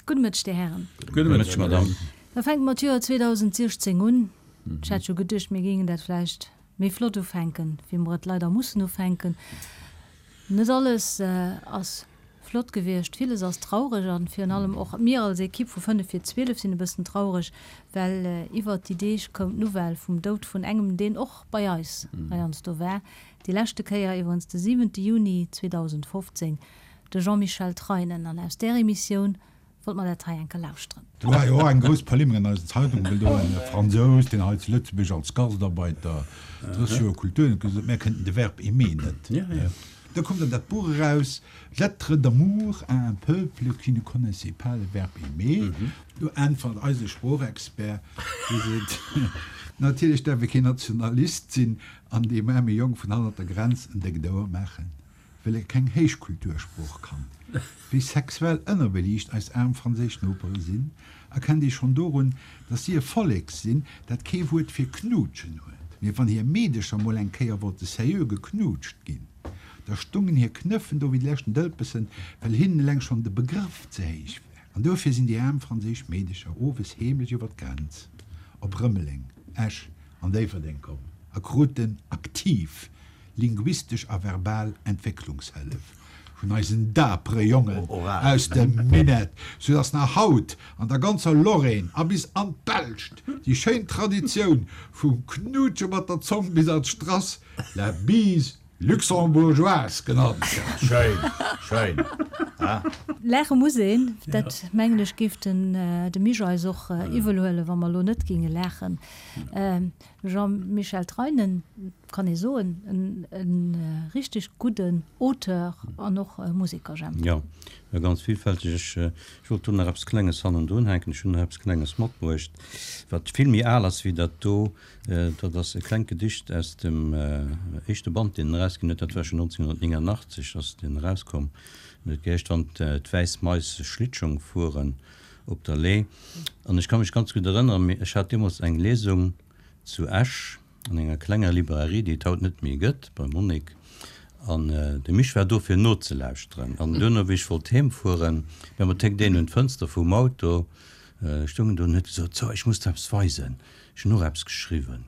Gudde Mëtteg, Dir Hären. Gudde Mëtteg, Madame. Da fänke mer d'Joer 2016 un. Ech hat jo geduecht, mir géingen dat vläicht méi flott ufänken, wéi mer et leider mussen ufänken. Net alles ass flott gewiescht, villes ass traureg an virun allem och mir als Equipe vu 5 vir 12 sinn e bëssen traureg, well iwwert déi Deeg koum d'Nouvelle vum Doud vun engem, deen och bei eis heiansdo war, déi leschte Kéier iwwerens de 7 Juni 2015, de Jean-Michel Treinen. An aus där Emissioun Wollt mer dat hei enker lauschteren. Do war jo och eng grouss Polemik an eisen Zeitungen, well do e Fransous, deen hei zu Lëtzebuerg als Gastarbeiter 30 Joer Kultur huet, gesot huet, mär kënnten de Verb aimer net. Da koum dann dat Buch eraus, Lettres d'amour à un peuple qui ne connaissait pas le verbe aimer. Do äntwert eise Sproochexpert, dee seet, Natierlech däerf ee keen Nationalist sinn an deem aarme Jong vun hannert der Grenz en déckt Ouer maachen. Well e keng Héichkultursprooch kann. Wéi sexuell ënnerbeliicht eis aarm franséisch Nopere sinn, erkennt ee schonn dorun, datt si e Vollek sinn, dat kee Wuert fir knuutschen huet. Mee wann hir Meedecher mol eng Kéier wollte seriö geknuutscht ginn, da stungen hir Knëffen do wéi de leschten Dëlpessen, well hinnen eleng schonn de Begrëff ze héich war. An dofir sinn déi aarm franséisch Meedecher owes heemlech iwwer d'Grenz op Rëmeleng, Esch an Déifferdeng komm a kruten aktiv linguistesch a verbal Entwécklungshëllef vun eisen dapere Jongen aus dem Minett, soudass nach haut an der ganzer Lorraine a bis an d'Belscht déi schéin Traditioun vum Knuutsche mat der Zong bis an d'Strass, la bise luxembourgeoise genannt gëtt. Schéin, schéin, ha? Laache muss een, dat mengen ech géif den de Misch eis och iwwel huelen, wa mer elo net géinge laachen. Jean-Michel Treinen, kann ee soen, e richteg gudden Auteur an och Museker, Jemp. Jo, ganz villfälteg. Ech wollt do nach eppes Klenges hannendrun hänken. Ech hunn nach eppes Klenges matbruecht, wat vill méi al ass wéi dat do. Dat ass e klengt Gedicht aus dem éischte Band, deen en erausginn huet. Dat war schonn 1989 ass deen erauskomm. En huet geheescht Wann d'wäiss Mais Schlittschong fueren op der Le'h. An ech ka mech ganz gutt erënneren, ech hat deemools eng Lesung zu Esch an enger klenger Librairie, déi et haut net méi gëtt, beim Monique. An de Misch war do fir nozelauschteren. An duerno, wéi ech wollt heem fueren, mä mer téckt een un d'Fënster vum Auto, stoung en do an huet gesot, So, ech muss der eppes weisen, ech hunn och eppes geschriwwen,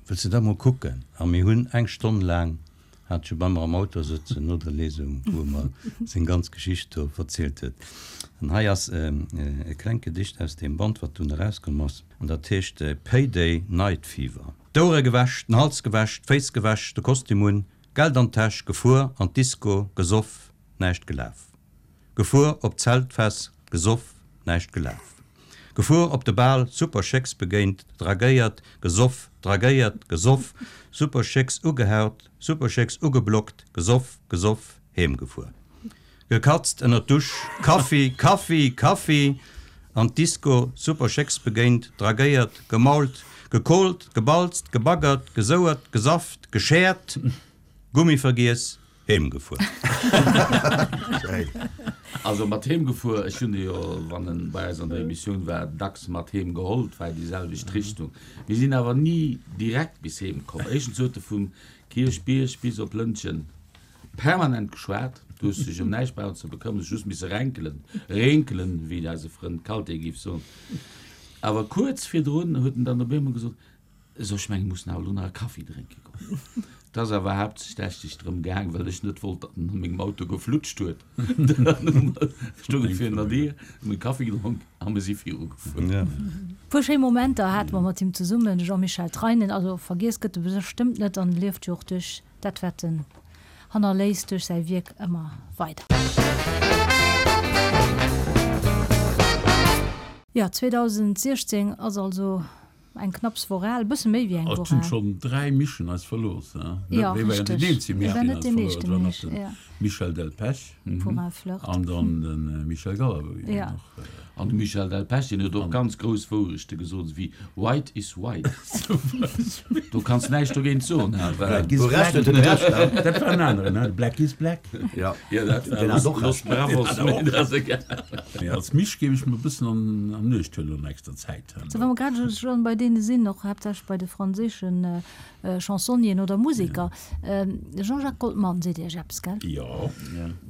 wëlls de dat mol kucken? A mir hunn eng Stonn laang Hat scho bei mer am Auto sëtzen no der Lesung, wou e mer seng ganz Geschicht do verzielt huet. An hei ass e klengt Gedicht aus deem Band, wat dunn erauskomm ass, an dat heescht Payday Night Fever. D'Ouere gewäsch, den Hals gewäsch, d'Féiss gewäsch, de Kostüm un, Geld an d'Täsch, gefuer an d'Disco, gesoff, näischt gelaf. Gefuer op d'Zeltfest, gesoff, näischt gelaf. Gefuer op de Bal, super Chicks begéint, dragéiert, gesoff, dragéiert, gesoff, super Chicks ugehaut, super Chicks ugeblockt, gesoff, gesoff, heem gefuer. Gekatzt ënner d'Dusch, Kaffi, Kaffi, Kaffi, an d'Disco, super Chicks begéint, dragéiert, gemault, gekohlt, gebalzt, gebaggert, gesouert, gesafft, geschäert, Gummi vergiess, Heem gefuer. Also mat heem gefuer, ech hunn e jo, wann en bei eis an der Emissioun war, dacks mat heem geholl, et war déi selwecht Richtung. Mir sinn awer ni direkt bis heem komm. Éischtens huet e vum Kierchbierg bis op Lëntgen permanent geschwat, du hues dech ëm näischt brauchen ze bekëmmern, hues just misse renkelen, rénkelen, wéi eise Frënd Kalté géif soen. Awer kuerz virdrun huet en dann op eemol gesot, Esou, ech mengen, mussen awer elo nach e Kaffi drénke goen. Et ass awer haaptsächlech drëm gaang, well ech net wollt, datt en a mengem Auto geflutscht huet. Dann hu mer, stoung e virun der Dier, hu mir e Kaffi gedronk a mir si virugefuer. E puer schéi Momenter hate mer mat him zesummen, de Jean-Michel Treinen. Also vergiess gëtt e bestëmmt net an lieft jo och duerch dat, wat en hannerléisst, duerch säi Wierk ëmmer weider. Jo, 2016 ass also Eng knapps Woch al, e bësse méi wéi eng Woch al. Et hunn al. schonn 3 Mischen eis verlooss, he? Jo, Wee war jo richteg. den eenzege Hie Mich, war deen net eis deen verluer huet. éischte Et war nach Mich, de jo. Michel Delpech Vu Ralph Flirt. an dann de Michel Galabru, deen Jo. och. An de Michel Delpech, deen huet och ganz grouss Wourechte gesot, esou wéi White is white. Do kanns näischt dogéint soen, ha? Black is black. Dat war en aneren, he? Black is black. Ja, dat war Los Bravos, mee dat ass egal. Mee als Misch géif ech mer e bëssen an Uecht huelen an nächster Zäit. Sou, wa mer grad elo schonn bei deene sinn, och haaptsächlech bei de franséischen Chansonnieren oder Museker. De Jean-Jacques Goldman seet Iech eppes, gell? Jo.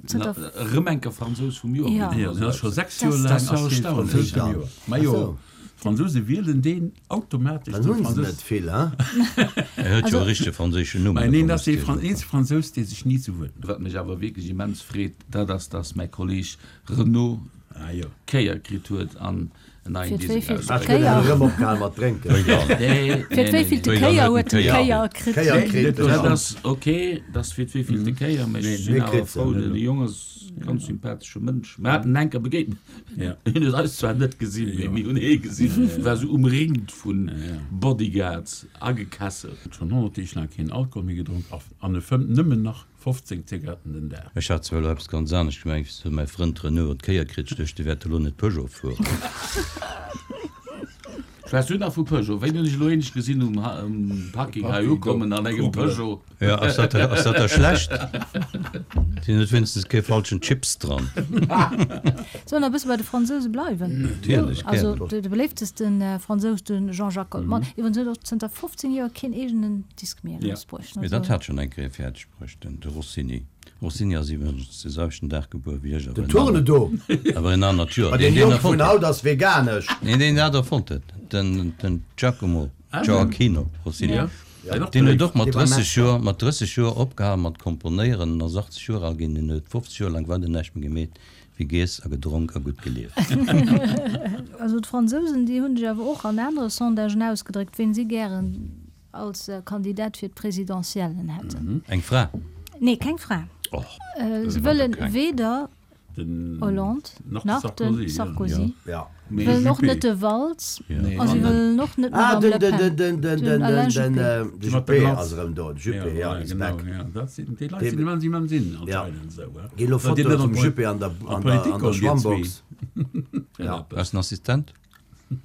Zënter. Erëm enker Fransous vum Joer ginn. Jo, dat ass scho 6 Joer laang ass dee Fransous vum Joer. Majo, d'Fransouse wielen deen automatesch zum Fransous. Dann hunn se net vill, hein? En huet jo e richtege franséischen Numm. Mä neen, dat ass dee eenzege Fransous, dee sech ni zu Wuert mellt. Wat mech awer wierklech immens freet, dat ass, dass mäi Kolleeg Renaud d'Kéier kritt huet an en neien Fir Diesel d'wéivillte erausbréngt. Kéier? Erëm opgehal mat drénken. Nee, Fir d'wéivillte nee, nee. Kéier huet en d'Kéier kritt? Kéier kritt. Dat ass ok, dat ass fir d'wéivillte Kéier, mä ech sinn Mir awer kritt se. frou. De Jong ass e ganz sympathesche Mënsch. Mir haten en enker begéint. Hien huet eis zwar net gesinn, mee mir hunn hie gesinn. Hie war esou umringt vu Bodyguards, agekesselt. Schonn 100 Deeg laang keen Alkohol méi gedronk an e fëmmt nëmmen nach 15 Zigaretten den Dag. Ech hat zwar elo eppes ganz anescht gemengt, wéi mäi Frënd Renaud an d'Kéier kritt, ech duecht, de wäert elo net Peugeot fueren. Schwätz du nach vu Peugeot? Wéini hunn ech elo eenesch gesinn um Parking hei ukommen an engem Peugeot? Jo, ass dat ass dat da schlecht? Sinn huet wéinstens kee falschen Chips dran. Soll nach e bësse bei de Fransouse bleiwen? Natierlech, Also gären. de beléiftesten Fransous, de Jean-Jacques Goldman, iwwerens huet och zënter 15 Joer keen eegenen Disk méi erausbruecht. Mee dat hat schonn eng Kéier fäerdeg Bruecht den de Rossini. Rossini ass iwwregens de selwechten Dag gebuer wéi ech, Den Tournedo! awer en anert Joer. Ma Deen deen deen Jong vun erfonnt huet. haut ass veganesch. Nee, deen dat erfonnt huet, den den Giacomo, Gioacchino Rossini. Ja. Deen huet och mat Dee war 30 Metzger. Joer, mat 30 Joer opgehal mat komponéieren an ass 80 Joer al ginn. Deen huet 50 Joer laang weider näischt méi gemeet wéi giess a gedronk a gutt gelieft. Also d'Fransousen, déi hunn sech awer och an anere Sondagen ausgedréckt, ween si gären Als Kandidat fir d'Presidentiellen hätten. Eng Fra? Nee, keng Fra. Och. Se wëllen weder Hollande nach de Sarkozy. Wëllen och net de Valls a se wëllen och net d'Madame Le Pen. Den Alain Juppé. De Juppé ass erëm do. De Juppé, jo, is back. Ginn elo Fotoe vum Juppé an der Schwammbox. Ass en Assistent?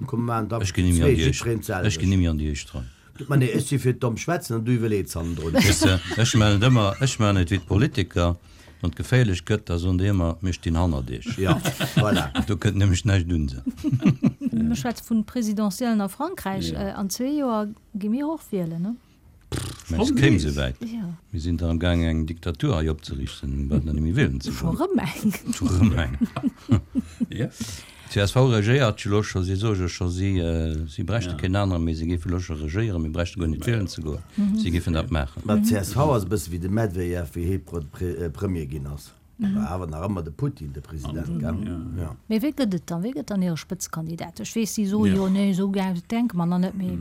Komm maan da Ech ginn nimmi an déi éischt, ech ginn nimmi an déi éischt Rei. Ma nee, ech si fir d'domm schwätzen an du iwwerleets hannendrun. Weess de, ech maachen et ëmmer, ech maachen et wéi d'Politiker, wann et geféierlech gëtt, da soen déi ëmmer, mir stinn hannert iech. Jo, voilà. Do kënnt nämlech näischt un se. Mir schwätze vun Presidentiellen a Frankräich. An zwee Joer gi mir och wielen, ne? Mengst et kéim esou wäit? Mir sinn dach am gaang eng Diktatur hei opzeriichten, mir brauchen da net méi wielen ze goen. Scho rëm eng? Scho rëm eng. D'CSV regéiert jo elo scho, si soe jo scho, si si bräichte keen anere méi, si géife elo scho regéieren, mir bräichte guer net wielen ze goen, si géifen dat maachen. Mä d'CSV ass e bësse wéi de Medvejev, wéi hie Premier ginn ass. War awer nach ëmmer de Putin de President, gell? Jo. Mee wee gëtt et dann? Wee gëtt dann hire Spëtzekandidat? Ech weess, si soe jo, nee, esou gaang denke mer nach net, mee.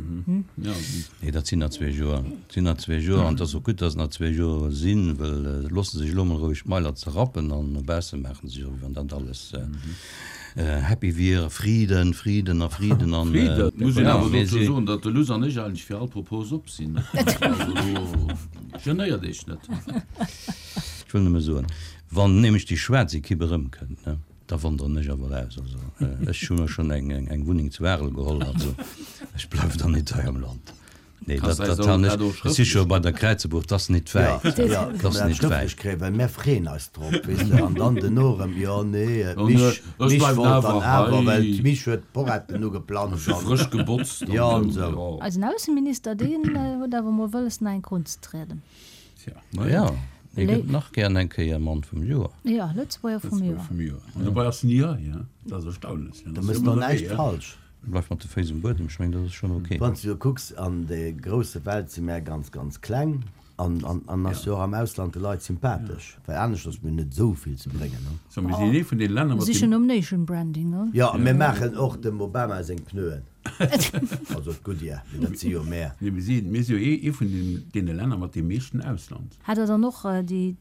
Nee, dat sinn nach zwee Joer. Dat sinn nach zwee Joer an et ass och gutt, datt et nach zwee Joer sinn, well loosse sech elo emol roueg d'Mailer zerrappen an no bausse maache se sech, wéi wann dat alles happy wier, Friden, Friden a Friden an. Friden! Muss een awer dozou soen, datt de Luss an ech eigentlech fir all Propos op sinn. Also do genéiert Iech net. Ech wëll nëmme soen, wann nämlech déi schwaarz Ekipp erëmkënnt, ne, da wanderen ech awer aus. Also ech hu mer schonn eng, eng Wunneng zu Arel geholl, also ech bleiwen dann net hei am Land. Nee, dat, dat han ech, ech si scho bei der Kräizebuch, 't ass net wäit, Jo, 't ass dat net schrëftlech wäit. kréien, well mär freeën eis drop, weess de, an dann duerno erëm, jo, nee, d'Mich, d'Mich wollt dann awer, well d'Mich huet d'Poretten ugeplanzt an. Frësch gebotzt an Jo, an esou, esou. jo. Eisen Ausseminister, deen huet awer mol wëlles, nach eng Kéier unzetrieden. Tja. Ma jo, hie gëtt nach gären eng Kéier Mann vum Joer. Jo, Lëtzebuerger vum Joer. Vum Joer. An dobei ass en ni hei, hein? Dat ass erstaunlech. Da mëss de och näischt falsch. Bleif mat de Féiss um Buedem, ech mengen, dat ass schonn ok. Wann s du jo kucks, an der grousse Welt si mär ganz, ganz kleng an an ass jo och am Ausland de Leit sympathesch, well aneschters mir hunn net esou vill ze bréngen, ne? So, mir sinn ee vun deene Länner mat Sichen dem. nom Nation Branding, ne? Jo, a mir maachen och dem Obama seng Pneuen. Also d'Goodyear, mee dat si jo mär. Nee, mir si, mir si jo ee vun den, deene Länner mat deem meeschten Ausland. Hat der dann och déi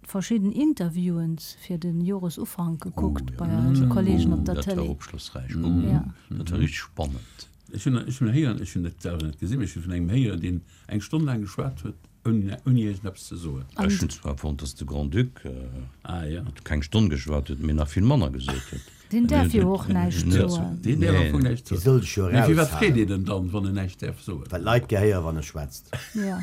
verschidden Interviewen fir de Joresufank gekuckt bei eise Kollegen op der Dat war Tëlee? opschlossräich. Oh, dat war richteg spannend. Ech hunn, ech hunn héieren, ech hunn et selwer net gesinn, mee ech hu vun engem héieren, deen eng Stonn laang geschwat huet, ouni, ouni iergendeppes ze soen. Ech hunn zwar fonnt, dass de Grand-Duc Ah, ja. keng Stonn geschwat huet, mee nach vill manner gesot huet. Deen däerf jo och näischt soen. Deen däerf am Fong näischt Dee soen. soll sech jo Mee firwat freet eraushalen. een en dann, wann en näischt däerf soen? Well d'Leit gär héieren, wann e schwätzt. Jo.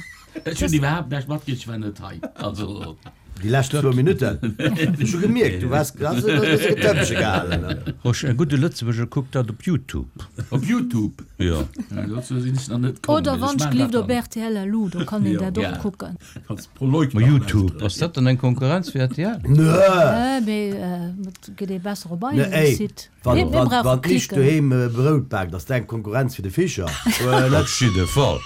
Ech hunn iwwerhaapt näischt matkritt, ech war net hei. Also. Déi lescht zwou Minutten. Ech hu gemierkt, du waars has e bësse Getëppche gehalen. Rosch, e gudde Lëtzebuerger kuckt dat op Youtube. Op Youtube? Jo. Dozou sinn ech nach net komm. Oder Mee ech wann maan ech dat op dann. rtl elo, do kann een Jo. dat och Ja. kucken. Kanns Prolog Ma nach Youtube, lauschteren. ass dat dann eng Konkurrenz fir rtl? Nö! Nö, mee et gëtt ee besser op Nö, eisem ey, Site. wann, Mir, mir wann, brauche wann d'Nisch Klicken. doheem Brout baakt, ass dat eng Konkurrenz fir de Fischer? Op Net? jidde Fall.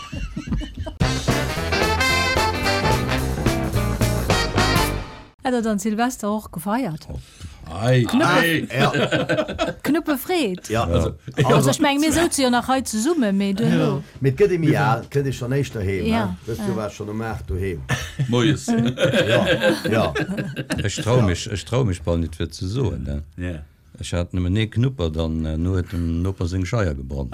Hätt der dann Silvester och gefeiert? Ei, ei. Ja, Knuppefreed. ja. Also ech meng, mir souze jo nach hei zesummen, mee duerno. Mee et gëtt ee méi al, kënnt ee schonn éischter heem, Ja. he? Dëst Joer war ech schonn um 8 doheem. Moies. Ja, ja. Ech trau mech, ech trau mech bal nit fir ze soen, ne? Ja. Ech hat nëmmen ee Knuppert an no huet dem Noper seng Scheier gebrannt.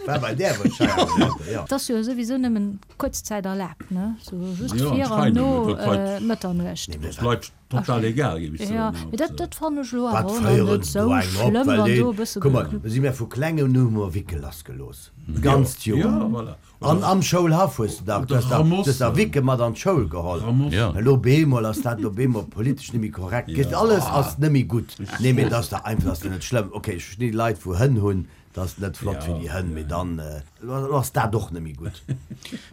War bei där, wou d'Scheier gebrannt huet, ja. Et ass jo souwisou nëmmen kuerz Zäit erlaabt, ne? Sou just Jo, vir an anscheinend, no et huet d'Leit- Mëtternuecht. Dat ass Leit total egal, géif ech soen. Jo, mee dat, dat fannen ech elo Wat awer och nach féieren net se sou do eng op, schlëmm, well wann do deen, e bësse kuck mol, geknuppt. si mir vu klengem un hu mer Wickel lassgelooss, d'ganzt Joer. Ja, voilà. An am Schoulhaff hues de dach, du hues dach, du hues dach Wicke mat an d'Schoul geholl. Ja. Elo beemol ass dat elo beemol politesch net méi korrekt. Gëtt alles ass net méi gutt. Nee, mee et ass dach einfach, ass dach net schlëmm. Okay, ech verstinn déi Leit wou Hënn hunn, dat ass net flott fir déi Hënn, mee dann, elo ass dat och net méi gutt.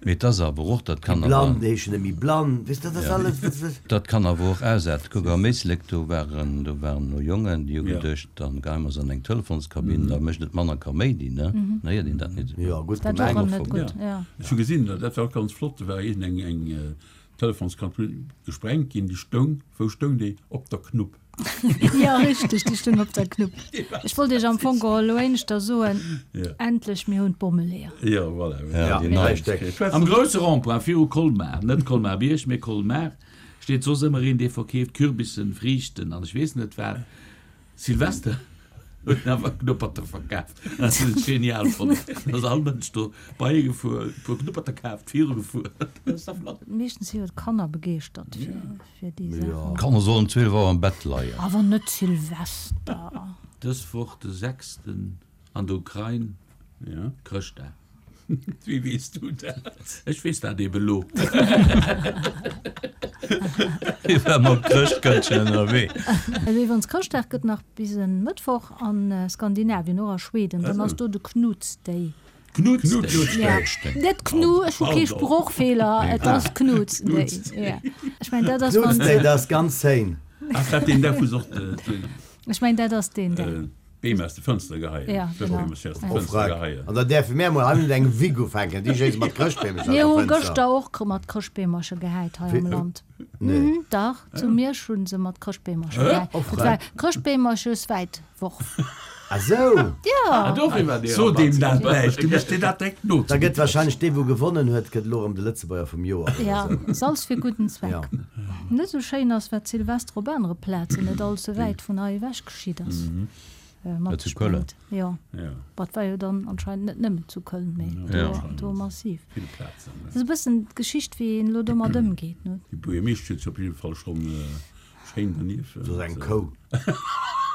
Mee et ass awer och, dat Déi kann awer. Blann heeschen net méi blann, weess de, dat ass alles. Dat kann awer och ausaarten. Kuck am Éislek, do waren, do waren elo Jongen, déi hu geduecht, dann geie mer se an eng Telefonskabinn, da mécht et manner Kaméidi, ne? Dann héiert een dat net esou. Jo, gutt Dat war gemengt. net gutt, ja. Ech hu gesinn, dat war och ganz flott, do war iergend eng, eng Telefonskabinn gesprengt ginn, déi stoung, wou stoung déi? Op der Knupp. Jo, richteg, déi stoung op der Knupp. Ech wollt Iech am Fong geholl elo éineschter soen, endlech, mir hunn d'Bommeleeër. Jo, voilà. Ja, déi nei. Richtig. Am grousse Rond-point viru Colmar, net Colmar-Bierg, mee Colmar, steet soss ëmmer een, dee verkeeft Kürbissen, Friichten an ech weess net wat. Silvester huet en awer Knupperter verkaaft. Dat hunn ech genial fonnt. Da ass all Mënsch do bei e gefuer, e puer Knupperter kaaft, viru gefuer. Dat ass da flott. Meeschtens si jo d'Kanner begeeschtert fir déi Saachen. D'Kanner sollen 12 Auer am Bett leien. Awer net Silvester. Dës Woch de sechsten an der Ukrain, Chrëschtdag. Wéi weess du dat? Ech weess dat eben elo. Hie war mam Chrëschtkëndchen ënnerwee. Also iwwerens Chrëschtdag gëtt nach bis en Mëttwoch a Skandinavien, och a Schweden, dann ass do de Knuts Day. Knuts Day? Ja, net Knu, ech hu kee Sproochfeeler, et ass Knuts Day. Ja. Ech mengen dat ass Knuts wann. Day, dat ass ganz scéin. Ass dat deen Dag wou se och de. Ech mengen dat ass deen Dag. Beem aus de Fënster geheien. Ja, genau. Beem aus de Oh, Fënster Freck. geheien. An da däerfe mär mol hei net eng Wick ufänken, déi schéisse mat Chrëschtbeemercher Mir aus hu der Fënster. gëschter och mat Chrëschtbeemercher gehäit hei am Land. Nee. Mhm, dach, zu Miersch hu se mat Chrëschtbeemercher gehäit. Oh, Et Freck. war Chrëschtbeemercheswäitworf. Ah sou! Ja! Dofir war dee So deem Rabatt. dat näischt, du méchs dir dat direkt no. Da gëtt wahrscheinlech dee wou gewonnen huet, gëtt elo erëm de Lëtzebuerger vum Joer oder Ja, sou. Salz fir gudden Zweck. Ja. Net esou schéin ass, wat Silvester op anere Plazen net all ze wäit vun hei ewech geschitt ass. Mat Zu Köln. Jo, Ja. wat war jo dann anscheinend net nëmmen zu Köln, mee do, Ja. do massiv. Vill Plazen. Dat ass e bëssen d'Geschicht, wéi een elo domat ëmgeet, ne? Déi Buergermeeschtesch huet sech op jidde Fall schonn schéin dernieft. Dat ass eng Kou.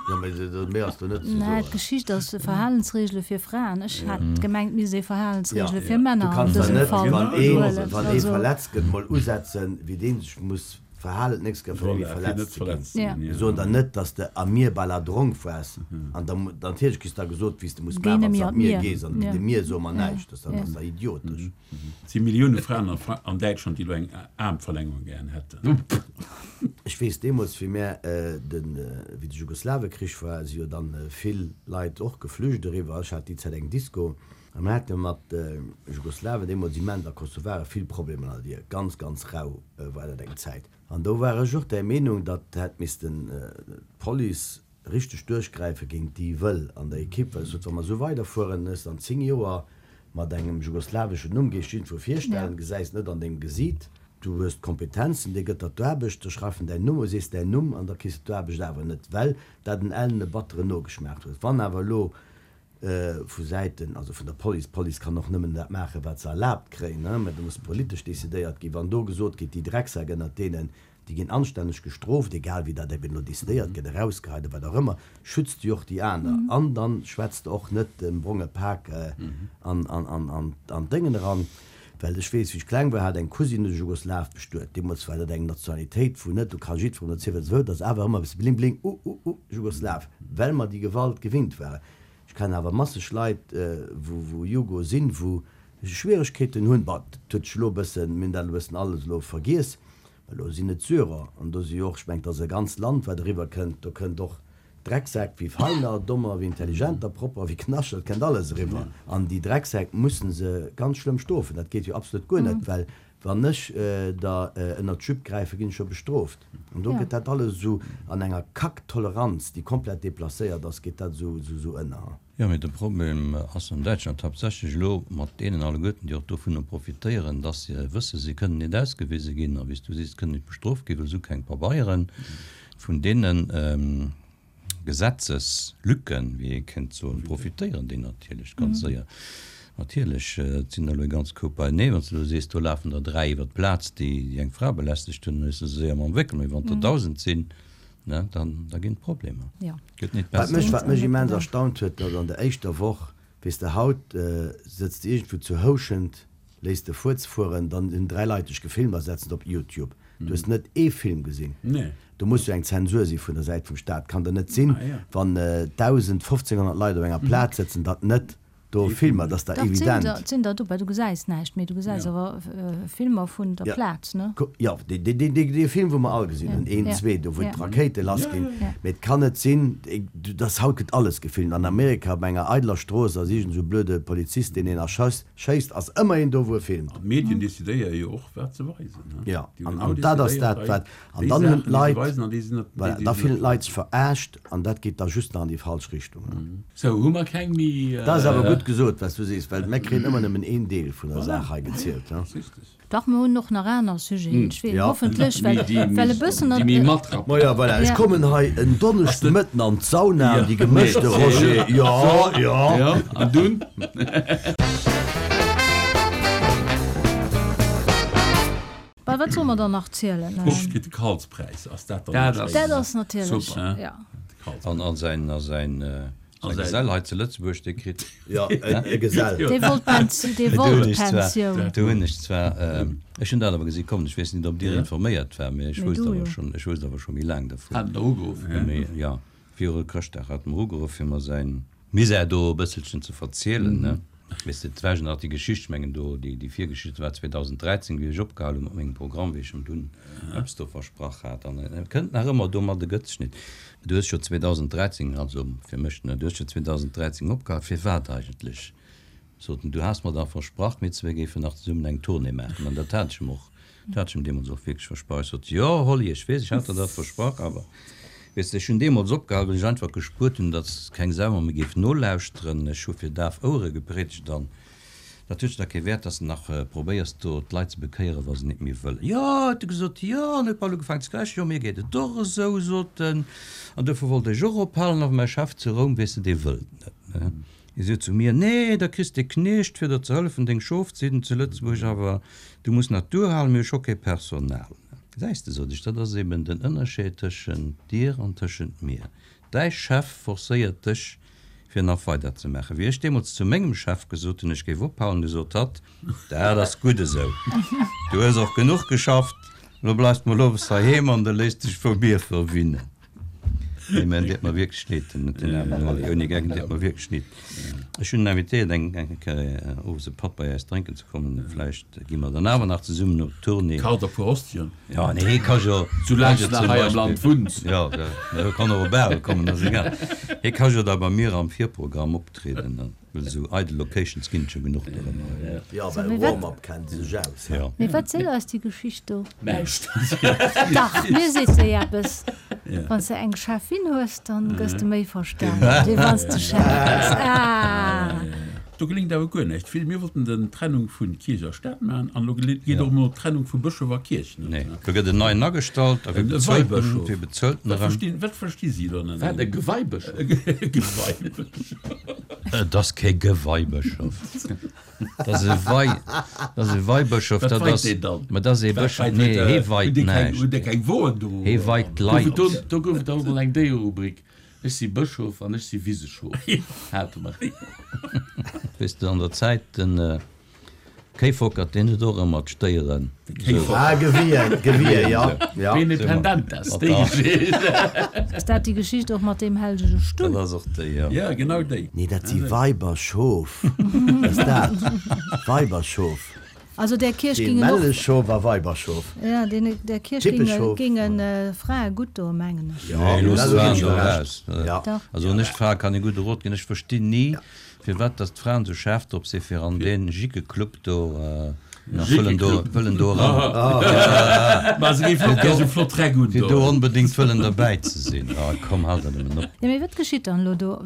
Jo, mee dat méi ass do net ze Nee, soen. d'Geschicht ass Verhalensregele fir Fraen. Ech hat gemengt, mir si Verhalensregele Ja. fir Männer Du an kanns der dësem net, Fall wann ee, huelen. wann ee Also, verletzt gëtt, mol usetzen, wéi dee sech muss Verhalen, d'nächst Kéier fir Voilà, net fir net verletzt ze ginn. verletzt ze Ja. ginn. Mir soen der net, dass de am Mier bei la Dronk waars an da natierlech kriss da gesot, wéi s de muss Géi maachen, net wann s méi de an an d'Mier d'Mier. gees. An Ja. de Mier soe mer Ja. näischt, dat Ja. ass da idiotesch. Et si Millioune Fraen a Fra an Däitschland, déi elo eng Aarmverlängerung gären hätten. Ech weess deemools, wéi mär den, wéi de Jugoslawekrich war, si jo dann vill Leit och geflücht eriwwer. Ech hat déi Zäit eng Disco a mir hate mat Jugoslawen deemools immens a Kosovare vill Problemer an der Dier. Ganz, ganz rau war dat eng Zäit. An do war ech och där Meenung, datt hätt missten d'Police richteg duerchgräife géint déi Wëll an der Ekipp, well ech sot, wa mer esou weiderfueren, hues de an 10 Joer mat engem jugoslaweschen Numm, gees jiddwer virstellen, gesäis net an dengem Gesiit, du hues d'Kompetenzen, dee gëtt der d'Aarbecht, da schreift en däin Numm, u sees däin Numm an da kriss de d'Aarbecht awer net, well dat en ellene batteren Nogeschmaach huet. Wann awer elo vu Säiten, also vun der Police, d'Police kann och nëmmen dat maachen, wat se erlaabt kréien, mä do muss politesch decidéiert ginn, wann do gesot gétt, déi Drecksäck ënnert deenen, Déi ginn anstänneg gestrooft, egal wéi dat eben elo decidéiert gëtt, erausgeheit oder wat och ëmmer, schütz de jo och déi aner. An dann schwätz de och net dem bronge Pak an d'Déngen eran. Well ech weess, wéi ech kleng war, hat eng Cousine e Jugoslaw bestuet. Deemools war dat eng Nationalitéit, wou net, do ka jiddwerem erzielen, wat e wëllt, ass awer ëmmer e bësse bling bling, uh uh uh, Jugoslaw, well mer déi Gewalt gewinnt waren. Ech kennen awer masseg Leit, wou Jugo sinn, wou Schwieregkeeten hunn. Bon, dat huet sech elo e bëssen, mir hunn dat elo e bëssen alles elo vergiess, mä elo sinn et Syrer an do si jo och, ech mengen, et ass e ganzt Land, wat eriwwer kënnt, do kënnt och Drecksäck wéi feiner, dommer wéi intelligenter, propper wéi Knascht, dat kënnt alles eriwwer. An déi Drecksäck musse se ganz schlëmm strofen. Dat geet jo absolut guer net, well wann ech der ënnert d'Jupe gräifen, ginn ech jo bestrooft. An do gëtt dat alles esou an enger Kack-Toleranz, déi komplett deplacéiert ass, geet dat esou ënner. Jo, mee de Problem ass an Däitschland haaptsächlech elo mat deenen alleguerten, déi och dovunner profitéieren, dass se wëssen, se kënnen net ausgewise ginn a wéi s du sees, kënnen net bestrooft ginn, well se hu keng Pabeieren. Vun deene Gesetzeslücken, wéi ee kéint soen, profitéieren déi natierlech ganz séier. Natierlech, et sinn der elo e ganz Koup beienee. Wann s de elo sees, do lafen der 3 iwwer d'Plaz, déi eng Fra belästegt hunn, dann hues de se séier mam Wéckel. Mee wann der 1.000 sinn, Ne, dann, da ginn et Problemer. Ja. Gëtt nit Wat besser. mech, wat mech immens erstaunt huet, datt an der éischter Woch, weess de, haut sëtz de iergendwou zu Houschent, léiss de Fuerz fueren, dann hunn 3 Leit dech gefilmt a setzen et op Youtube. Du hues net ee Film gesinn. Nee. Do muss jo eng Zensur si vun der Säit vum Staat. Kann der net sinn, Ah ja. wann 1.000, 1.500 Leit op enger Plaz sëtzen, datt net Do Filmer, dat ass der Dach, et sinn evident. der, et sinn der dobäi. Du gesäis näischt, mee du gesäis Ja. awer Filmer vun der Ja. Plaz, ne? Jo, dee, dee, dee, dee Film, wou mer all gesinn Ja. hunn, een, Ja. zwee, do wou Ja. d'Rakéite Ja, lassginn. ja, ja. Ja. Mee et kann net sinn, dass haut gëtt alles gefilmt. An Amerika op enger eideler Strooss ass iergend esou e blöde Polizist, deen een erschësst, schéisst, ass ëmmer een do, wou e filmt. An d'Medien decidéiere jo och, wat se weisen, ne? Ja, Déi hunn an, genau an dat ass decidéiert, dat, hei, wat, an déi dann hunn Saachen, déi se d'Leit, weisen an déi se net, déi, voilà, déi da se fillen net d'Leit weisen. sech veraascht an dat geet da just nach an déi falsch Richtung, ne? Sou, hu mer keng méi. Dat ass awer gutt gesot, wat s du sees, well mir kréien ëmmer nëmmen een Deel vun der Saach hei gezielt. Dach, mer hunn och nach aner Sujeten, ech weess, Ja. hoffentlech, well, well e bëssen. Déi méi matrappen. Maja, voilà, ech kommen hei en Donneschdemëtten an d'Sauna, an déi gemëschte Roger, jo, jo. Jo, an dunn? Bah, wat solle mer dann nach zielen? Ech kritt de Karlspräis, ass dat dann Dat net ass. schéin? Dat ass natierlech, Super. ja. De Karlspräis. An, an säin, a säin, säin Gesell hei zu Lëtzebuerg, dee kritt. Jo, e Gesell. Dee wollt Pens, dee Do wollt hunn ech zwar, Pensioun. do hunn ech zwar, ech hunn dat awer gesi kommen, ech weess net, ob Dir informéiert war, mee ech Mee wousst du awer jo. schonn, ech wousst awer scho méi laang dervun. Hat en der ugeruff? Mee jo, viru Chrëschtdag hat en mer ugeruff, fir mer säin Misär do e bësselchen ze verzielen, ne? Weess de, et war jo nach déi Geschicht, ech mengen do, déi, déi Virgeschicht war 2013, wéi ech opgehal hu mat mengem Programm, wéi ech em dunn eppes do versprach hat. An e kënnt nach ëmmer domat, e gëtt sech nit. Du hues jo 2013, also fir mech, ne, du hues jo 2013 opgehal, firwat eigentlech? Sot en, du has mer dach versprach, mir zwee géifen nach zesummen eng Tournée maachen. An dat hat ech em och Dat hat ech em deemools och wierklech versprach. Ech sot, Jo, Holly, ech weess, ech hat der dat versprach, awer, weess de, ech hunn deemools opgehal, well ech einfach gespuert hunn, datt keng Sau mer méi géif nolauschteren. Ech hu fir daf Ouere gepriedegt an dat huet jo da kee Wäert, datt s de nach probéiers, do d'Leit ze bekéieren, wa se nit méi wëllen. Jo, huet e gesot, jo, an huet bal ugefaangen ze kräischen, jo, mir geet et och esou, sot en, an dofir wollt ech och ophalen, awer mäi Chef zu Roum, weess de, dee wëllt net. Hie sot zu mir, Nee, da kriss de Kniecht fir der ze hëllefen deng Schof ze hidden zu Lëtzebuerg, awer du muss nach duerhalen, mir hu scho kee Personal. Gesäis de, sot ech, dat ass eben den Ënnerscheed tëschent dir an tëschent mir. Däi Chef forcéiert dech fir nach weider ze maachen. Wéi ech deemools zu mengem Chef gesot hunn, ech géif ophalen, du sot hatt, Dat ass gutt esou, du hues och genuch geschafft, elo bleifs de mol owes heiheem an de léiss dech vu mir verwinnen. Nee, mä en deet mer wierklech leed, den den aarmen Oli. Ouni Geck, en deet mer wierklech leed. Ech hunn en invitéiert, eng eng Kéier owes e Patt bei äis drénken ze kommen. Vläicht gi mer dann awer nach zesummen op Tournée. Kacht der puer Hostien. Jo, nee, hee ka jo. Soulaang s de nach hei am Land wunns. Jo, e kann och op Bâle kommen, ass egal. Hee ka jo da bei mir am Virprogramm optrieden. Well esou eidel Locations ginn et jo genuch dorëmmer. Jo, well Warm-up kennt se sech aus. Jo. Mee wat seet eis déi Geschicht do? Näischt. Dach, mir seet se eppes. Wann s de eng Cheffin hues, dann gëss de méi verstanen, wéi wann s de Chef bass. Ah! Do geléngt awer guer näischt. Vill, mir wollten den Trennung vu Kierch a Staat maachen an elo geet och emol d'Trennung vu Bëschof a Kierch net. Nee, do gëtt en neien agestallt a wie bezuelt en? Wie bezuelt en erëm? Wat versti si do net? Wat, e Geweibëschof? E Geweibëschof. Et ass kee Geweibëschof. Dat ass e Wei, dat ass e Weibëschof. Wat Dat weit ass, deen dann? ma dat ass ee Wat Bëschof, weit nee, huet hee de, weit huet dee keng, näischt. huet dee keng Woen do? Hee weit Gouf et d'Leit. do, do gouf et och emol eng Déiererubrik, Ech si Bëschof an ech si Wiseschof, hate mer. Weess de, an der Zäit, den Kéifockert, deen huet och ëmmer d'Stéieren esou. Ah, gewien, gewien, jo, jo. Bene Pendentas, déi Geschicht. Ass dat déi Geschicht och mat deem hellege Stull? Dat ass och déi, jo. Ja, genau déi. Nee, dat si Weiberschof. Wat ass dat? Weiberschof. Also där Kierch Dee gingen och. Mälleschof a Weiberschof. Ja, deen, där Kierch ginge, Tippeschof. gingen Frae gutt doen, mengen ech. Jo, Nee, looss dat d'Fraen ginn do ech raus. Recht. Ja. Dach. Also un ech d'Frae kann ee gudde Rot ginn. Ech verstinn ni, firwat datt d'Fraen esou schaarf drop sinn, fir an dee Jickeclub do nach wëllen do, wëllen do eran. Ma se géifen och gär esou flott Räck un Fir do do. onbedéngt wëllen derbäi ze sinn. Ah, komm, halt dat nëmmen op. Jo, mee wat geschitt dann elo do?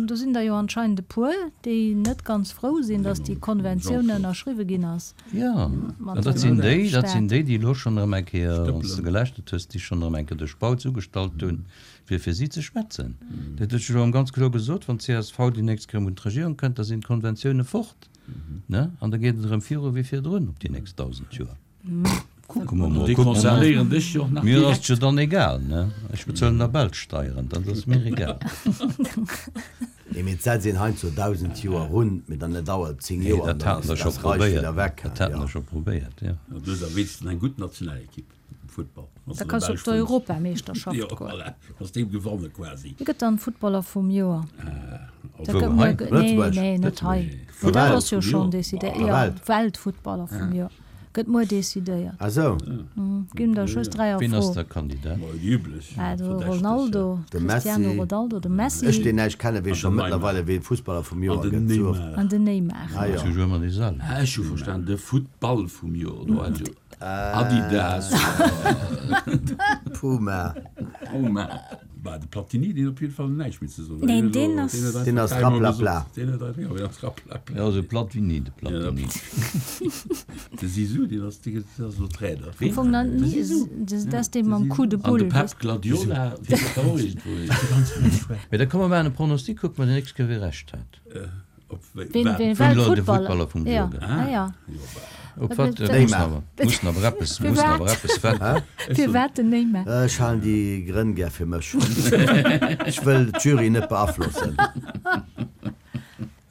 Do sinn der jo anscheinend e puer, déi net ganz frou sinn, datt déi Konventioun ënnerschriwwe ginn ass. Jo, Mat an dat dem sinn déi, dat Staat. sinn déi, déi elo schonn erëm eng Kéier, wann s de Stëppelen. geläschtert hues, déi schonn erëm eng Kéier de Spautz ugestallt hunn, fir fir si ze schwätzen. Dat huet ech elo ganz kloer gesot, wann d'CSV déi nächst Kéier erëm un d'Regierung kënnt, da sinn d'Konventioune fort, ne? An da geet et erëm viru wéi virdrun op déi nächst 1.000 Joer. Kucke mer mol, Déi kucke mer mol. concernéieren dech jo och nach Mir ass direkt. et jo dann egal, ne? Ech bezuelen der Belsch Steieren, dat ass mir egal. Nee, mee et setzt een heiansdo 1.000 Joer run, mee dann dauert et 10 Nee, Joer an dat dann haten ass der scho dat Reich probéiert, wieder weg. dat haten Ja. der scho probéiert, jo. Du hues a wéinstens eng gutt Nationalequipe. Futtball. Da kanns du op d'Europameeschterschaft goen. Voilà, kanns deem gewanne quasi. Wie gëtt dann Futtballer vum Joer? Wou, hei? Nee, Lëtzebuerg? nee, net hei. Vun Dat Welt ass jo vum schonn Joer. decidéiert. Vun Jo, Welt. Weltfuttballer vum Joer gëtt muer decidéiert. Ah sou. Ginn der just 3 a Wien ass Fro. da Kandidat? Déi üblech Also Verdächteg. Ronaldo, De Cristiano Messi. Ronaldo, de Messi. Ech deen näischt kennen, weess An scho den Neymar. mëttlerweile wee Fussballer vum An Joer den gëtt. Sou oft. Neymar. An den Neymar. Ah jo. Zu Joer déi selwecht. Ah, ech hu verstan, de Futtball vum Joer. Do hat jo Adidas, Puma. Puma. Bah, de Platini, deen huet op jidde Fall näischt méi ze soen. Nee, deen ass. Deen ass raplapla. Deen huet einfach, jo, deen ass raplapla. Jo, esou platt wéi ni, de Platini. De Zizou, deen ass, deen ass elo Trainer. Am Fong dann ni, dat ass dee mam Coup de An de boule, Pep weess. Guardiola, deen huet och iergendwou een. Mee da komm mer maachen e Pronostic, kucke mer déi nächst Kéier, wie Recht hat. Op wéi, Ween, wat? ween Wien elo de Weltfuttballer? Futtballer vum Ja, Joer gëtt. ah ja. Op wat Dat- mussen awer, mussen awer eppes, Fir mussen wat? awer eppes wetten. Firwat den Neymar? Ech halen déi Grënn gär fir mech. Ech wëll d'Jury net beaflossen.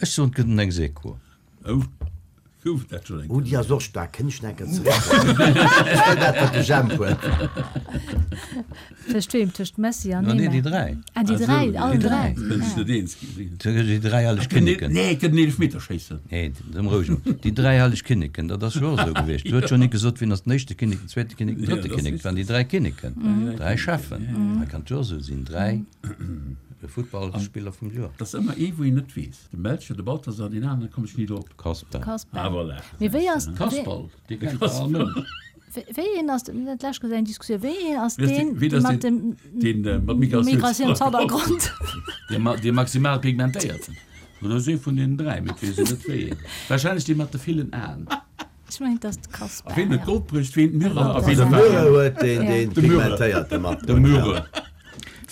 Ech soen, et gëtt en ex aequo. Oh, gouf et dat schonn eng Oh, déi ass och staark. Kënn ech nach eng Kéier zeréckkommen? Ech wëll dat, wat de Jemp huet. Tëscht weem? Tëscht Messi an No, nee, Neymar? déi dräi. Ah, déi dräi, allen dräi. Kënnt sech net eens ginn. Déi dräi helleg Kinneken. Nee, kënnt en Eelefmeter schéissen. Nee, dem roueg no. Déi dräi helleg Kinneken, dat ass jo och esou gewiescht. Du huet jo nik gesot, wien ass den éischte Kinnek, den zweete Kinnek, den drëtte Kinnek. Et waren déi dräi Kinneken, dräi Cheffen. Hei kann et jo och esou sinn, dräi Futtballspiller vum Joer. Et ass ëmmer ee, wou een net weess. De Melchior, de Balthasar, deen aneren komm ech ni drop. Kasper. Kasper. Ah, voilà. Mee wéi ass. Kasperl, dee kennt jo all Mënsch. Wéi een ass, dat lescht Kéier eng Diskussioun, wéi een ass Wéi ass deen, deen- ween ass mat dem deen, mat Migratiounshannergrond? Migratiounshannergrond? Dee ma, dee maximal pigmentéierten. Oder ass ee vun deenen 3, mee et weess een net wéi een. Wahrscheinlech dee mat de villen Aen. Ech mengen, et ass de Kasper. A ween huet ja. Gold bruecht, ween d'Myrrhe a ween De de Myrrhe Wäin? huet deen, deen De Myrrhe. pigmentéierte mat. De Myrrhe.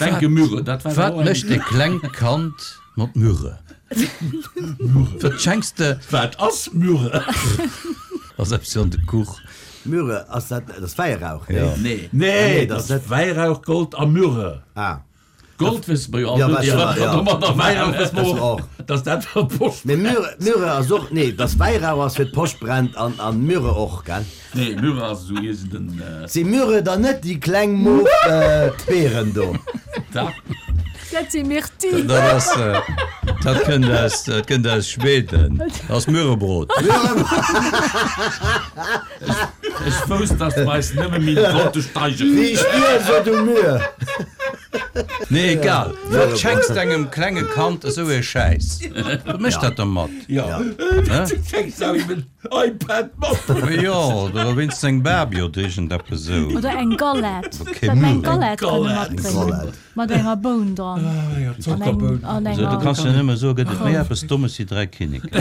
Wenke Myrrhe, dat war Wat och eng. mécht e klengt Kand mat Myrrhe? Wat schenks de? Wat ass Myrrhe? Ass eppes an de Kuch. Myrrhe, ass dat, dat ass Wäirauch, nee? Ja. Nee. Nee, nee, dat dat ass net. Wäirauch, Gold a Myrrhe. Ah. Gold wësse mer jo all Ja, net, wësse wat mer, ja. domadder Wäirauch war. wësse mer Das och, och. dass dat fir d'Post Mee Myrrhe, Myrrhe ass och, nee, dass Wäirauch ass fir d'Post brennt an, an Myrrhe och, gell? Nee, Myrrhe ass esou iergend en. Si Myrrhe dann net déi kleng mof Beeren do? Dach. Dat si Myrtille. Dat ass, dat kënnt aus, dat kënnt aus Schweden. Dat ass Myrrebrot. Ech wousst, dass mer eis nëmme méi konnte steigeren. Wéi ech dir so du Myr. Nee, egal. Wat schenks de engem klenge Kand esou ee Schäiss? Wat mécht dat dermat? Jo, du schenks awer him en iPad mat. Jo, oder wéinstens eng Barbie oder iergendeppes esou. Oder eng Galette. Hätt mer eng Galette kënne matbréngen. Mat enger Boun dran. Jo, Zockerboun. An enger. Du kanns jo nëmme soen, gëtt et méi eppes Dommes wéi 3 Kinneken?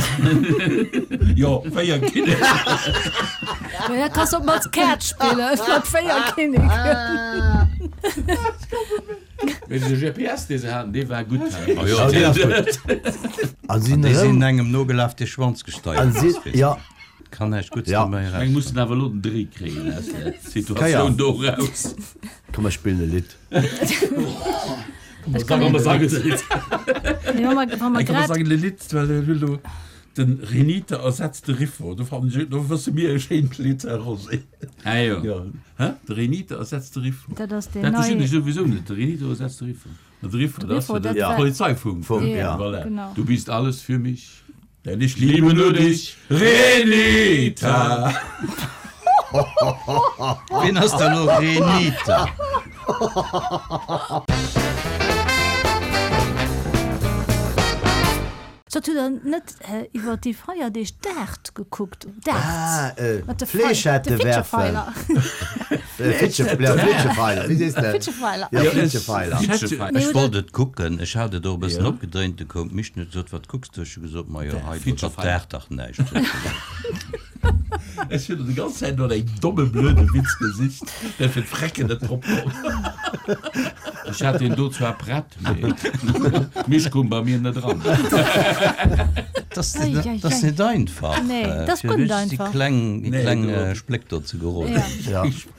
Jo, 4 Kinneken. Da kanns de och mat Kaart spillen, mat 4 Kinneken. Mee de GPS, dee se haten, dee war gutt. Oh jo, dee ass gutt. An déi sinn engem nogelaf, dee Schwanz gesteiert ass, weess de. Kann näischt Gutts dobäi erauskommen. Eng mussen awer elo den Dréi kréien aus der Situatioun do eraus. Komm, mer spillen e Lidd. Ech kann nëmme sangen e Lidd. Ech kann sangen e Lidd, well ech hunn elo den Renita ersetzt de Riffo. Do fannen ech, do wësse mir e schéint Lidd, Här Rosé. Ah jo. Jo, hä? De Renita ersetzt de Riffo. Dat ass deen Dat verstinn nei. ech souwisou net, de Renito ersetzt de Riffo. De Riffo, dat ass jo de Polizeifunk. Funk, ja. Voilà. Genau. Du bist alles für mich. Denn ich liebe nur dich, Renita. Wien ass da lo Renita? Sot hutt der net iwwer déi Feierdeeg d'Aart gekuckt? Ah, D'Aart mat de Fléschette de werfen. Fitschefeiler. Fléschefeiler, wéi sees de? Fitschefeiler. Ja, Fléschefeiler. Ech wollt et kucken, ech hat et och e bëssen opgedréint, du koum d'Misch an huet gesot, Wat kucks du? Ech hu gesot, Majo, hei do, dat daacht dach näischt. Ech hunn déi ganz Zäit no engem domme blöde Witz gesicht, mä fir d'Frecken net drop komm. Ech hat deen do zwar prett, mee d'Misch koum bei mir net eran. Dat ass net einfach, fir richteg déi kleng, déi kleng Spléck do ze geroden.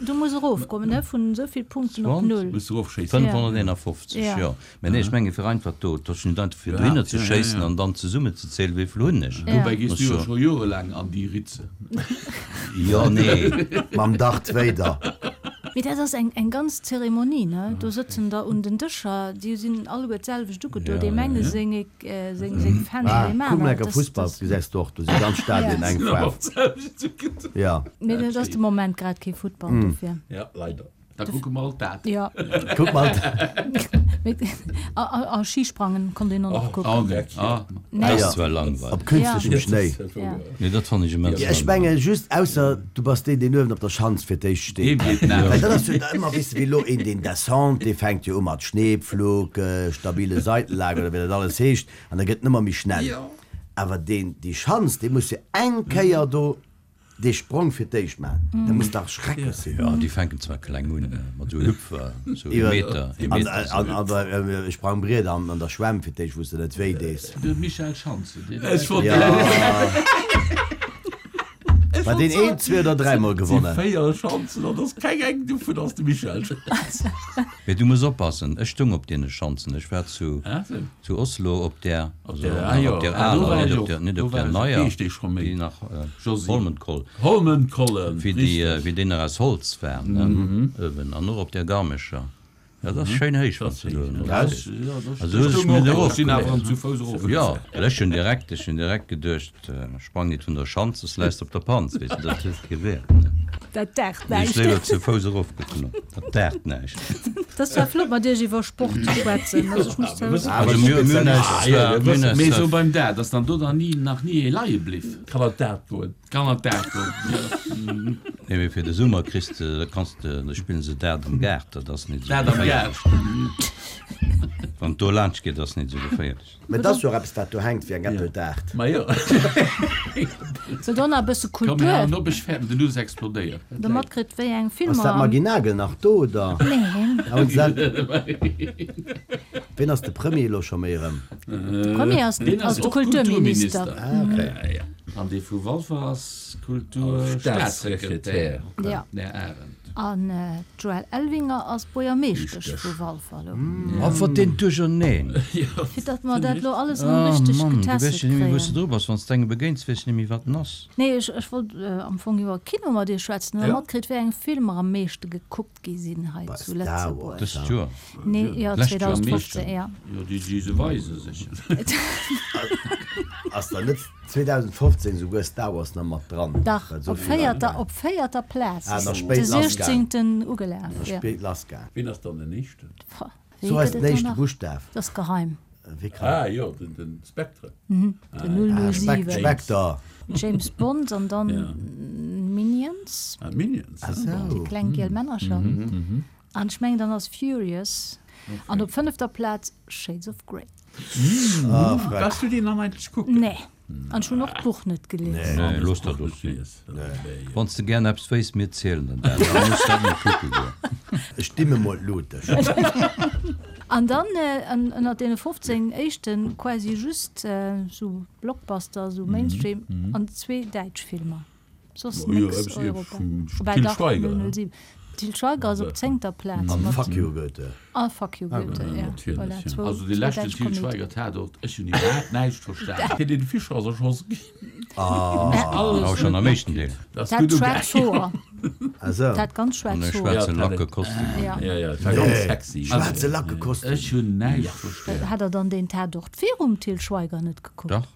Du muss erofkommen, ne, vun esou vill Punkten op null. 551, jo. Mä nee, ech menge fir einfach do, et ass jo net einfach fir dohinner ze schéissen an dann zesummenzezielen, wéi vill hunn ech. Dobäi gees du jo scho jorelaang an déi Ritze. Jo, nee. Mam Darth Vader. Mee dat ass eng ganz Zeremonie, ne? Do sëtzen der un den Dëscher, déi sinn alleguer d'selwecht ugedo, deem enge seng seng Fändel, deem Ah, kuck aneren. lecker Fussball gesäis de och, do si ganz Stadien eng Faarf. Jo. Mee et ass de Moment grad kee Futtball, dofir. Ja, leider. Da kucke mer alt dat. Ja. Kuck mer alt. A Schisprangen konnt een och nach kucken. Oh, okay. Ah. Dat ass zwar langweileg. Op künstlechem Schnéi. Nee, dat fannen ech immens Ja, ech langweileg. menge just, ausser du bass deen, deen uewen op der Schanz fir d'éischt steet. Deem geet näischt. Well dat ass jo da ëmmer, weess de, wéi elo een deen Descente, dee fänkt jo u mat Schneepflug, stabile Seitenlage oder wéi dat alles heescht, an da gëtt en ëmmer méi schnell. Awer deen, déi Schanz, dee muss jo eng Kéier do Dee Sprong fir d'éischt man, dat muss dach schrecklech sinn. Jo, déi fänken zwar kleng un, mat esou Hüpfer, esou ee Meter, ee Meter esou. An e Sprangbriet an der Schwämm fir d'éischt, wou s de net wéi dees. De Michel Schanze, deen. Ech wollt. Jo. War deen een, zwee oder dräimol gewonnen? Si 4 Schanzen an ass keng eng dovun ass de Michel Schanz. Mee du muss oppassen, ech stoung op deene Schanzen, ech war zu. Zu Oslo op där, also nach op där aler, net op där, net op där neier, déi nach Holmenkoll, wéi déi, wéi déi nach aus Holz war, ne, uewen, an och op där Garmescher. Dat ass schéin héich, wann s de do uewen drop stees. Also hu sech mir erofgeluecht. Jo, well ech hunn direkt, ech hunn direkt geduecht, Sprang nit vun der Schanz, soss läis de op der Panz, weess de, dat huet kee Wäert, ne. Dat daacht Mee ech näischt. léiwer zu Fouss erofgeklommen, dat daacht näischt. Et ass zwar flott mat iech iwwer Sport ze schwätzen, also ech muss zou. Also mir hunn eis zwar, mir hunn eis Mee zwar. sou beim Dart, ass dann do dann ni, nach ni ee leie bliff? Kann an d'Dart goen. Kann an d'Dart goen, jo. Nee, mee fir de Summer kriss de, da kanns de, da spillen se Dart am Gaart, dat ass net esou Dart am Gaart. geféierlech. Wann et do laanscht geet, ass net esou geféierlech. Mä et ass jo och eppes, wat do hänkt wéi eng Äppeltaart. Ma jo. Sou, dann nach e bësse Komm, mir Kultur. halen op, ech fäerten, den Nuss explodéiert. Der matkritt, wéi eng Ass Filmer dat am. Maggy Nagel nach do, oder? Neen. Ah, hunn se dat? Ween ass de Premier elo scho méi erëm? De Premier ass Deen ass de och Kulturminister. Kulturminister. Ah, okay. An dee vu Walfer ass Kulturstaatssekretär, Ja. den Här Arendt. An d'Joëlle Elvinger ass Buergermeeschtesch vu Walfer elo. Oh, wat deen Duercherneen! Fir datt mer dat elo alles erëm Oh richteg Mann, du weess getesselt jo net méi, wou s de kréien. dru bass. Wann s de engem begéins, weess de net méi, wat en ass. Nee, ech, ech wollt am Fong iwwer Kino mat Iech schwätzen. Hutt Der matkritt, wéi eng Filmer am meeschte gekuckt gi sinn hei Bei zu Star Lëtzebuerg? Wars. Dëst Joer? Nee, jo, D'lescht Joer am 2015, meeschten. jo. Jo, déi, déi se weise sécher. Ass der net 2015 souguer Star Wars nach mat dran? Dach, Well sou op vill Leit véierter, waren. op véierter Plaz Ah, ass nach de spéit lassgaang. 16. ugelaf, Nach jo. spéit lassgaang. Wien ass dann den éischten? Pah. Wéi So eis gëtt den et do éischte nach? Buschtaf. Dat ass geheim. Wéi kann. Ah jo, den, den Spectre. Den Ah, Spec, 007. Spectre. James Bond an dann Ja. Minions. Ah, Minions. Ah, Déi sou. kleng giel Männercher. An ech mengen dann ass Furious. An op fënnefter Plaz Shades of Grey. Ah, freck. Waars du deen dann eigentlech kucken? Nee. An ech hunn och d'Buch net gelies. Nee, looss dat och sinn. Wann s de gären eppes wéisst, mir zielen der dat. Da muss dat net kucke goen. Ech dimme mol d'Lut. An dann ënnert deene 15 éischten quasi just sou Blockbuster, sou Mainstream an zwee däitsch Filmer. Soss nix Europa. Woubäi dach 007. Til Schweiger ass op zéngter Plaz An mat. Fuck you Goethe. A Fuck you Goethe, ja. Voilà, zwou, Also dee zwou leschten däitsch Til Komedien. Schweiger Tatort, ech hunn iwwerhaapt näischt verstan. Helene Fischer ass erschoss ginn. Alles Awer schonn am éischten Deel. Dat ass Dat gutt schwaarz ugaangen. Hoer. Ah sou. Dat ganz An schwaarz e Hoer. schwaarze Ja, Lackekostüm. Ja. Ja, ja, dat war ganz sexy. Schwaarze Lackekostüm. Ech hunn näischt verstan. Hat der dann deen Tatort virum Til Schweiger net gekuckt? Dach.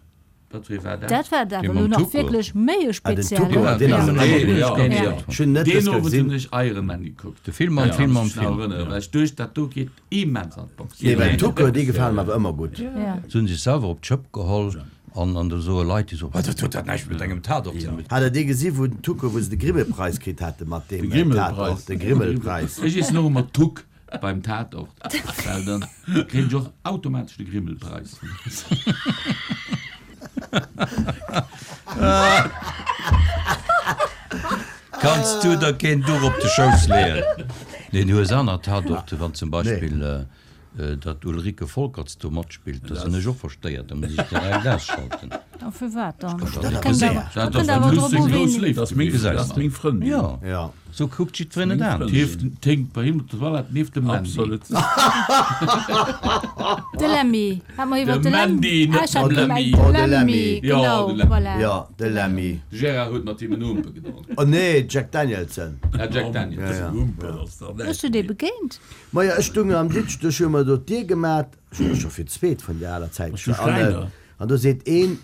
Wat wéi war dat? Dat war awer elo nach wierklech méi e speziellen. Ah, den Tuko, deen ass Ja, ëmmer ja, gutt. ja. Ech hunn net Deen dës Owend hunn gesinn. ech Iron Man gekuckt. De Film am Film am Film. Erënnere, well ech duecht, dat do geet immens an d'Box. Nee, well Tuko, dee gefalen mer awer ëmmer gutt. Ja. Se hunn sech selwer op d'Schëpp geholl an an do soe Leit, déi soen, dat huet dat näischt mat engem Tatort ze dinn. Hat der dee gesi wou den Tuko, wou se de Grimmelpreis kritt hate mat deem De Grimmelpreis. Tatort, de Grimmelpreis. Ech iessen och ëmmer Tuck Beim Tatort, well dann kréien ech och automatesch de Grimmelpreis. Kanns du der keen Duch op de Schouss leeën? Nee, du hues aner Tatorte, wann zum Beispill datt Ulrike Folkerts do matspillt, da sinn ech och verstéiert, da muss ech direkt ausschalten. A firwat dann? Dat Kënnt ass awer, Dat kënnt ass awer drop seng u, grouss ween. Léift Dat ass meng, gewiescht. dat ass meng Frëndin. Jo, sou kuckt jiddwereen et an. D'Hieft ténkt bei him op der Toilette nieft dem Mandy. Absolut. De Lemmy. Hat mer iwwer De de Lem, Mandy, ah, net ech hat de gemengt Lemmy. de Oh, de Lemmy, Lemmy. Jo, genau, de Lemmy. voilà. Jo, de Lemmy. De Gérard huet mat him en Humpe gedronk. Oh nee, Jack Danielson. Ah, Jack Daniels. Ja, ja. Humpe ass dach Hues näischt du dee méi. begéint? Majo, ech stung am Ditsch, do hu mer do d'Dier gemat, ech hu scho fir d'zweet vun der aler Zäit, Du Schräiner. an do seet een,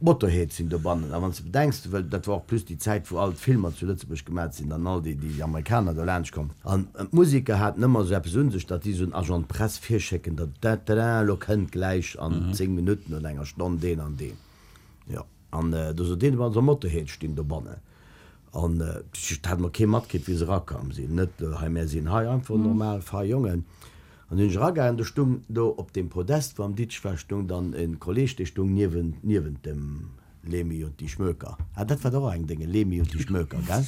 d'Motorhead sinn dobannen. A wann s de bedenks, well dat war och plus déi Zäit, wou all d'Filmer zu Lëtzebuerg gemat sinn an all déi, déi Amerikaner do laanscht komm. An d'Musiker haten ëmmer esou eppes un sech, datt si esou en Agent de presse virschécken, datt da da da, elo kënnt gläich an 10 Minutten oder enger Stonn deen an deen. Jo, an do sot een, also Motorhead stinn dobannen. An dat hat mer kee matkritt, wéi se erakomm sinn. Net hei, mär sinn hei einfach normal fei Jongen. An du sinn ech eragaangen, do stung do op deem Podest, wou am Ditsch war, stung dann e Kolleg, dee stung niewent, niewent dem Lemi und die Schmöker. Ah, dat war dach och eng Dénge, Lemi und die Schmöker, gell?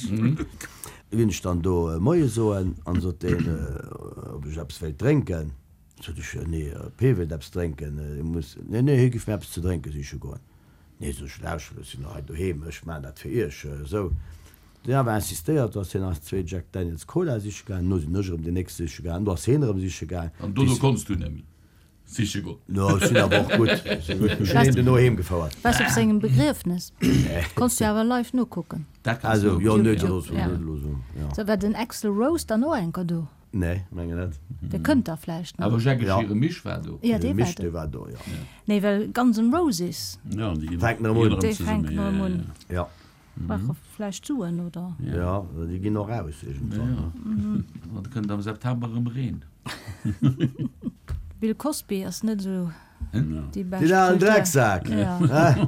Du ginn ech dann do Moie soen an sot deen, ob ech eppes wéilt drénken. Sot ech, nee, ob hee wéilt eppes drénken, hie muss, nee, nee, hie giff mir eppes ze drénke siche goen. Nee, sot ech, lauschtert, ech sinn hei doheem, ech maachen dat fir iech, esou. Deen awer insistéiert, do ass hien eis zwee Jack Daniels Cola siche gaangen, no sinn ech erëm deen nächste siche gaangen, do ass hien erëm siche gaangen. An dono konns du net méi siche goen? No, ech sinn awer och gutt, ech sinn gutt, ech hunn hien duerno heem gefouert. Waars op sengem Begriefnes, konns du awer live nokucken. Dat kanns Also, du jo, nee, nokucken, dat ass Ja. net elo esou, jo. Sou, war den Axl Rose dann och enker do? Nee, mengen net. Dee kënnt da vläicht nach. Awer Jacques Ja. hire Misch war do. Ja, dee war Misch, do. dee war do, jo. Nee, well Guns N' Roses, Ja, déi ginn Fänken erëm un. déi fänken erëm un. Ja. Brauche vläicht Suen, oder? Ja, déi ginn och aus iergendwann. Ja. An da kënnt am September erëm Reen. Bill Cosby ass net esou déi bescht Deen alen Kultur. Drecksak! Ja. Hä?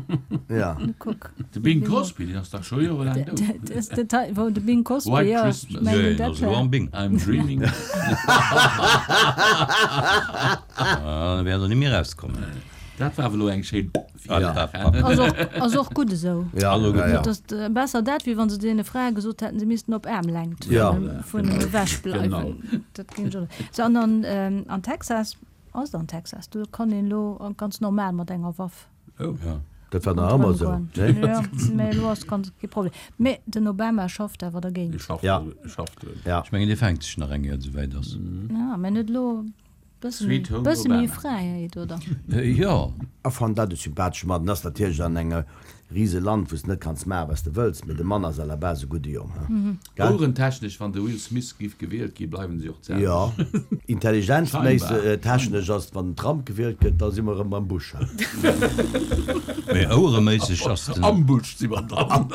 Ja. Kuck. De Bing Crosby, deen ass dach scho jorelaang dout. De, de, wou de Bing Cosby, White ja, ech Christmas. mengen Nee, dat ass elo war. am Bing. I'm dreaming. Ah, da wäert er net méi erauskommen. Dat war awer elo eng schéin Ja. Ass och, ass och gutt esou. Ja, Also gutt. ja, ja. Et ass besser dat, wéi wann se deene Frae gesot hätten, se missten op Aarmlängt Ja. vun ewech bleiwen. Genau. Dat géing ech och. Sou, an an, an Texas, ass et an Texas, do kann een elo ganz normal mat enger Waff Oh. Ja. Dat war nach ëmmer esou, ronderëm goen. ne? Ja, mä elo ass ganz kee Problem. Mä den Obama schafft awer dergéint. Dee schafft, Ja. dee schafft drun. Ja. Ech mengen, dee fänkt sech nach eng Kéier, esouwäit ass. Ja, mä net elo bësse méi, Sweet Home bësse méi Obama. Fräiheet, oder? Jo. A fannt dat e sympathesche Mann. Den ass natierlech an engem rise Land, wou s de net kanns maachen, wat s de wëlls, mee de Mann ass à la base e gudde Jong, he? Gell? Ouerentechnesch, wann de Will Smith giff gewielt gi, bleiwen si och d'selwecht. Jo. Intelligenzméisseg, Scheinbar. technesch ass, wann den Trump gewielt gëtt, da si mer erëm beim Bush, he? Mee ouereméisseg ass den. Am Bush si mer dann.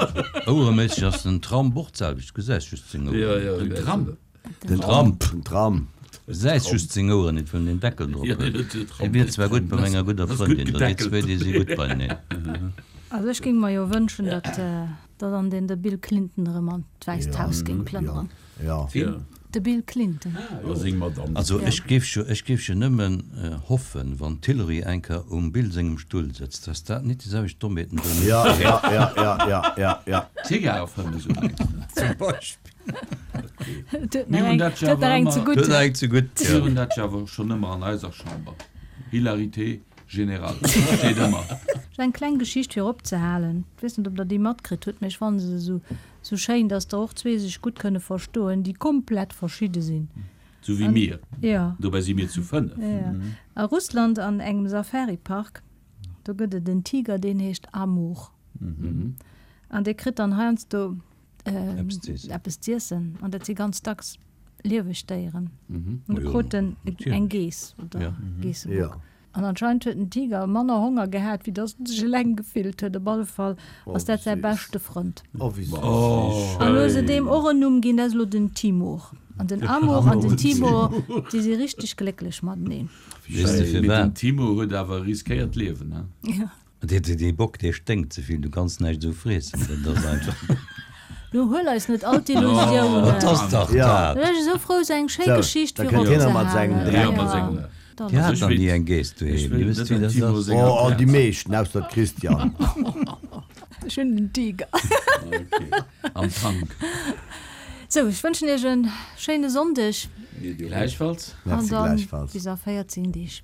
Ouereméisseg ass den Trump och d'selwecht, du gesäis just seng Oueren. Ja, ja, Den gesäis Trump? du. Den Trump. Den Trump. Gesäis just seng Oueren net, well en den Deckel drop huet. Hie wier zwar gutt bei menger gudder Frëndin, do déi zwéi déi si gutt beieneen. Also ech géing mer jo wënschen, datt datt an den de Bill Clinton erëm an d'Wäisst Haus géing plënneren. De Bill Clinton. Also ech géif jo, ech géif jo nëmmen hoffen, wann d'Hillary eng Kéier um Bill sengem Stull sëtzt, datt dat nit déi selwecht Dommheeten do mécht wéi. Zigar fëmmen esou mengs de? Zum Beispill. Mir hunn dat jo awer ëmmer. Huet nach eng ze gutt, Mir hunn dat jo awer schonn ëmmer an eiser Chamber. Hilarité générale steet ëmmer. Just eng kleng Geschicht fir opzehalen. Ech weess net, ob Der déi matkritt hutt, mä ech fanne se esou, esou schéin, dass der och zwee sech gutt kënne verstoen, déi komplett verschidde sinn. Sou wéi mir. Jo. Dobäi si mir zu 5. Jo. A Russland an engem Safari-Park, do gëtt et en Tiger, deen heescht Amur. An dee kritt dann heiansdo eppes z'iessen an dat si ganz dacks lieweg Déieren. An du krut en eng Geess oder Geessebock. An anscheinend huet den Tiger manner Honger gehat, wéi datt en sech eleng gefillt huet. Op alle Fall ass dat säi beschte Frënd. An elo hu se deem och en Numm ginn, dat ass elo den Timur. An den Amur an den Timur, déi si richteg glécklech mateneen. Weess de Mee den firwat? Timur huet awer riskéiert d'Liewen, he? Dee Bock dee sténkt ze vill, du kanns näischt esou friessen, dat ass einfach. Nu huel eis net all d'Illusiounen. Et ass dach dat. Ech si sou frou, sou eng schéi Geschicht fir opzehalen. Dir hat nach ni eng Geess doheem, dir wësst wéi dat ass. Oh, déi meeschten, ausser d'Christiane. Ech hunn den Tiger. Am Tank. Sou, ech wënschen iech e schéine Sonndeg. Gläichfalls. An Merci dann gläichfalls. bis a 14 Deeg.